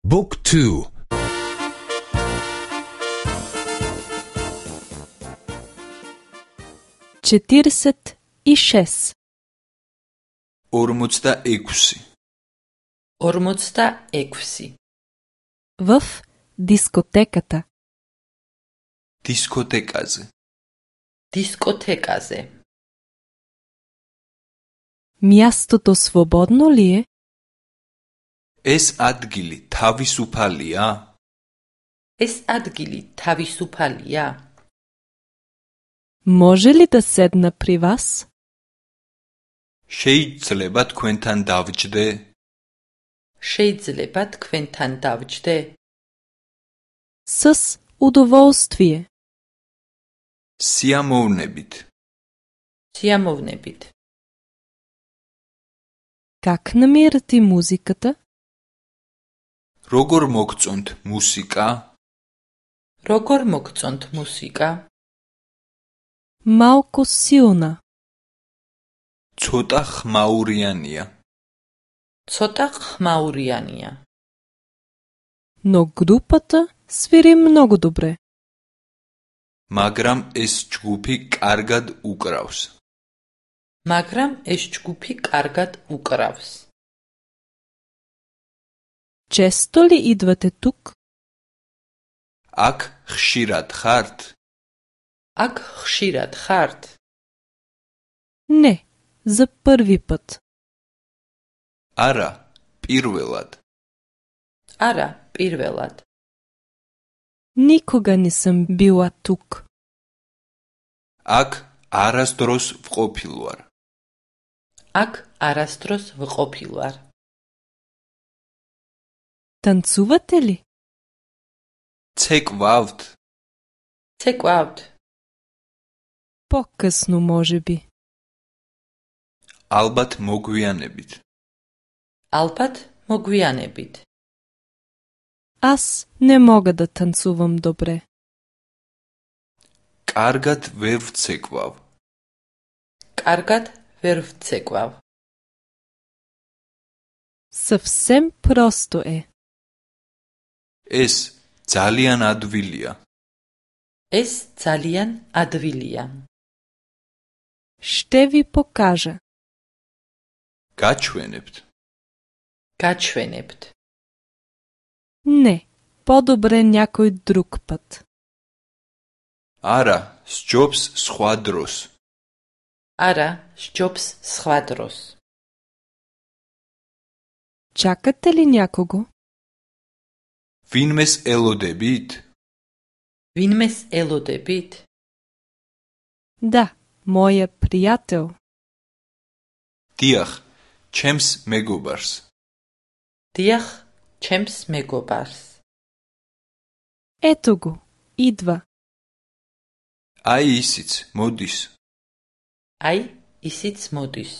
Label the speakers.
Speaker 1: Book 2.
Speaker 2: 46.
Speaker 3: 46.
Speaker 4: 46.
Speaker 2: В дискотеката.
Speaker 4: Дискотекაზე.
Speaker 3: Дискотекაზე.
Speaker 2: Мястото свободно ли е?
Speaker 4: ეს ადგილი თავისუფალია?
Speaker 3: ეს ადგილი თავისუფალია?
Speaker 2: Може ли да седна при вас?
Speaker 4: შეიძლება თქვენთან დავჯდე?
Speaker 3: შეიძლება თქვენთან დავჯდე?
Speaker 2: С удоволствие.
Speaker 4: სიამოვნებით.
Speaker 3: სიამოვნებით.
Speaker 2: Как намирате музиката?
Speaker 4: როგორ მოგწონთ მუსიკა?
Speaker 3: როგორ მოგწონთ მუსიკა?
Speaker 2: Малко силна.
Speaker 4: ცოტა ხმაურიანია.
Speaker 3: ცოტა ხმაურიანია.
Speaker 2: Но групата свири много добре.
Speaker 4: მაგრამ ეს ჯგუფი კარგად უკრავს.
Speaker 3: მაგრამ ეს ჯგუფი კარგად უკრავს.
Speaker 2: Често ли идвате тук?
Speaker 4: აქ ხშირად ხართ?
Speaker 3: აქ ხშირად ხართ?
Speaker 2: Не, за първи път.
Speaker 4: არა, პირველად.
Speaker 3: არა, პირველად.
Speaker 2: Никога не съм била тук.
Speaker 4: აქ არასდროს ვყოფილვარ.
Speaker 3: აქ არასდროს ვყოფილვარ.
Speaker 2: Танцувате ли?
Speaker 4: ცეკვავთ?
Speaker 3: ცეკვავთ?
Speaker 2: По-късно, може би.
Speaker 4: ალბათ მოგვიანებით.
Speaker 3: ალბათ მოგვიანებით.
Speaker 2: Аз не мога да танцувам добре.
Speaker 4: კარგად ვერ ვცეკვავ.
Speaker 3: კარგად ვერ ვცეკვავ.
Speaker 2: Съвсем просто е.
Speaker 4: ეს ძალიან ადვილია.
Speaker 3: ეს ძალიან ადვილია.
Speaker 2: Ще ви покажа.
Speaker 4: გაჩვენებთ.
Speaker 3: გაჩვენებთ.
Speaker 2: Не, по-добре някой друг път.
Speaker 4: არა, სჯობს სხვა დროს.
Speaker 3: არა, სჯობს სხვა დროს.
Speaker 2: Чакате ли някого?
Speaker 4: ვინმეს ელოდებით?
Speaker 3: ვინმეს ელოდებით?
Speaker 2: Да, моя приятел.
Speaker 4: დიახ, ჩემს მეგობარს.
Speaker 3: დიახ, ჩემს მეგობარს.
Speaker 2: Ето го, идва.
Speaker 4: აი ისიც, მოდის.
Speaker 3: აი, ისიც მოდის.